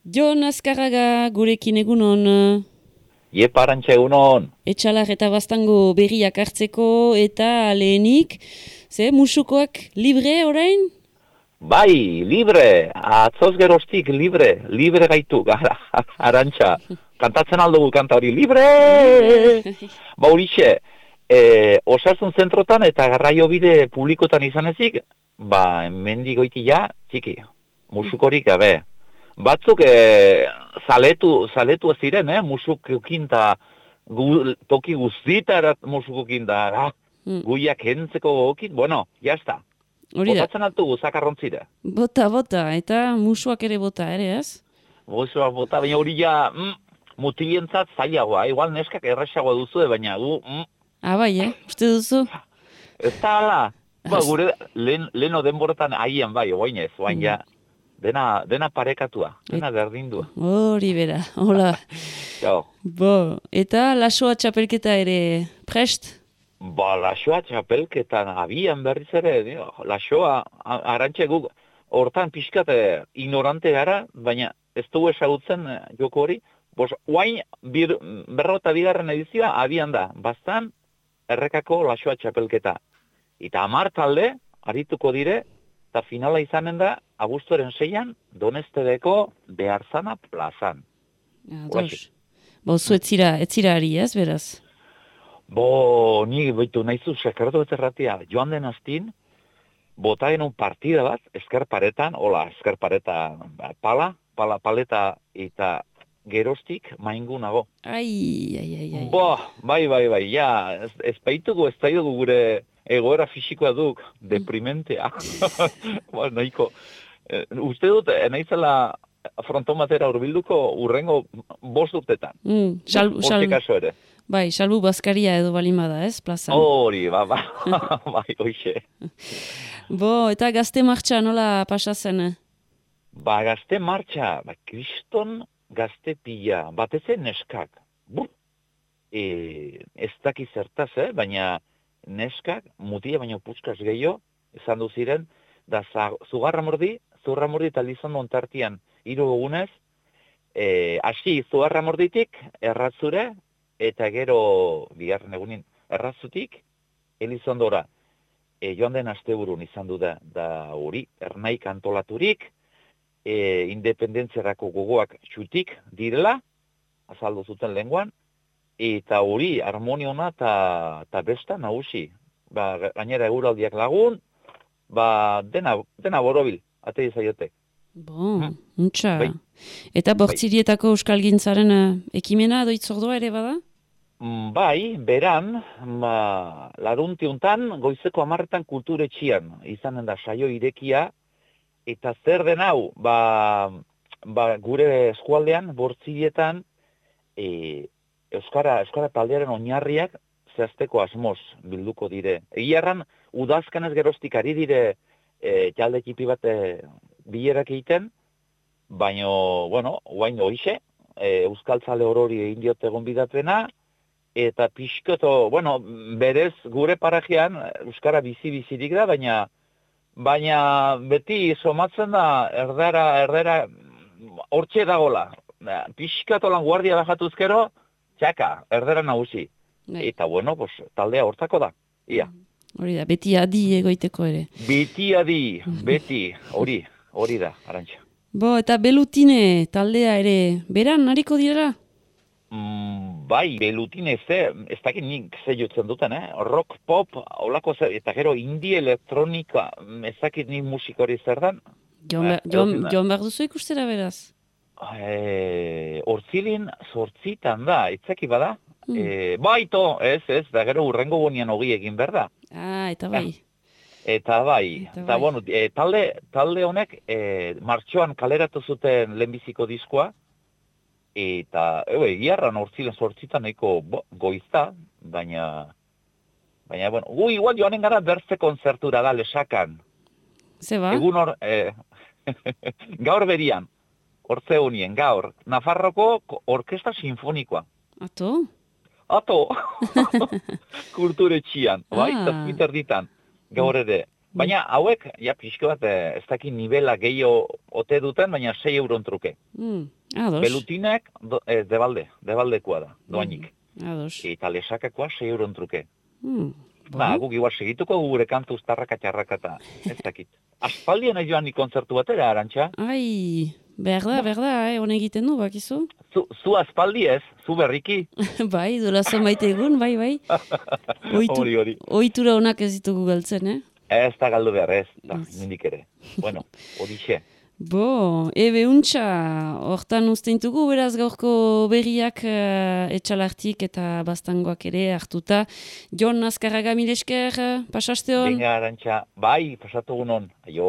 Jon Azkarraga gurekin egunon. Iepa Arantxa egunon. Etxalar eta Baztango berriak hartzeko eta lehenik, musukoak libre orain? Bai, libre, atzoz geroztik libre gaitu, Arantxa. Kantatzen aldugu kanta hori, libre! Ba horixe, osasun zentrotan eta garraio bide publikotan izan ezik, hemendik goitia, txiki, musukorik gabe. Batzuk zaletu ziren, musukokin eta toki guztitarat musukokin da, guiak entzeko gokit, bueno, jazta. Botatzen altugu, zakarrontzire. Bota, eta musuak ere bota, ere ez? Musuak bota, baina hori ja, mutilientzat zailagoa, igual neskak erresagoa duzu, baina gu... Bai, uste duzu? Ez da, ala, gure leheno denborotan haien bai, oainez, oain ja, dena parekatua, dena berdindua. Hori bera, hola. Eta lasoa txapelketa ere prest? Lasoa txapelketan abian berriz ere, lasoa, Arantxe guk, hortan pixkat ignorante gara, baina ez dugu esagutzen joko hori, oain berrota bigarren edizioa abian da, bastan errekako lasoa txapelketa. Eta 10 talde, arituko dire, eta finala izanen da, abuztuaren 6an, Donestedeko Beharzana plazan. Zu etzira ari ez, beraz? Ni baitu nahizu sekartu betzerratia, joan den astin, bota genuen partida bat, eskerparetan, paleta eta geroztik maingunago. Ai. Bai, ja, ez baitugu, ez daidugu gure egoera fisikoa duk, deprimentea. Nahiko, uste dut, nahizela frontomatera urbilduko urrengo 5 urtetan. Hortik kaso ere. Bai, salbu bazkaria edo balimada, ez, plazan? Hori, bai, hoxe. Eta gazte martxa nola pasazen? Gazte martxa, kriston gazte pila, batezen neskak. Ez daki zertaz, baina neskak, mutia baino puskaz gehiago, esan duziren, da zugarra mordi eta lizondo ontartian 3 egunez, hasi zugarra morditik, erratzure, eta gero bigarren egunin errazutik, Elizondora, joan den asteburun izan du da hori, ernaik antolaturik, independentziarako gogoak txutik direla, azaldu zuten lenguan, eta hori harmoniona eta besta nagusi. Gainera eguraldiak lagun, dena borobil, ate izaiotek. Untxa. Eta bortzirietako euskalgintzaren ekimena doitzordua ere bada? Bai, beran, laruntiuntan, goizeko 10etan kulturetxian, izanen da saio irekia, eta zer den hau, gure eskualdean, bortzirietan, Euskara taldearen oinarriak zehazteko asmoz bilduko dire. Egiarran, udazkanez geroztik ari dire jalde ekipi bat bilerak egiten, baina, oain horixe, euskaltzale horori egin diote gonbidapena, eta pixkoto, berez gure parajean euskara bizirik da, baina beti somatzen da erdera hortxe dagola. Pixkoto lan guardia bajatuzkero, txaka, erdera nagusi. Eta taldea hortako da, ia. Hori da, beti adi egoiteko ere. Beti, hori da, Arantxa. Eta Belutine taldea ere, beran hariko direla? Bai, Belutine ez dakit nik ze jotzen duten, rock, pop, holako eta gero indie elektronika, ez dakit nik musikori zer dan. Joan behar duzu ikustera beraz? Hortzilin 8 da, itzaki bada? Baito, ez, da gero urrengo bonian hogi egin behar da. Eta bai. Eta bai. Talde honek martxoan kaleratu zuten lehenbiziko diskoa, eta egiarran hortzilen 8 nahiko goizta, baina, gu igual joanen gara berze konzertura da lesakan. Zeba? Egun gaur berian, hortze honien, gaur, Nafarroko Orkesta Sinfonikoa. Ato! Kulturetxian, bai, 7 erditan, gaur ere. Baina hauek, ja, pixko bat, ez dakit nivela gehiago ote duten, baina 6 euron truke. Ados. Belutinek, debaldekoa da, doainik. Ados. Eta lesakakoa 6 euron truke. Ba, guk igual segituko gure kantu uztarraka txarraka eta ez dakit. Aspaldien joan ni kontzertu batera, Arantxa? Ai, behar da, hone egiten du, bakizu? Zu aspaldi ez, zu berriki. Bai, dola zenbait egun, bai. Hori. Ohitura honak ez ditugu galtzen, Ez da galdu behar, ez, da, nindik ere. Bueno, horixe. Ebe untxa, hortan usteintugu, beraz gaurko berriak etxalartik eta bastangoak ere hartuta. Jon Azkarraga, mil esker, pasaste hon? Venga, Arantxa, bai, pasatu gunon, aio.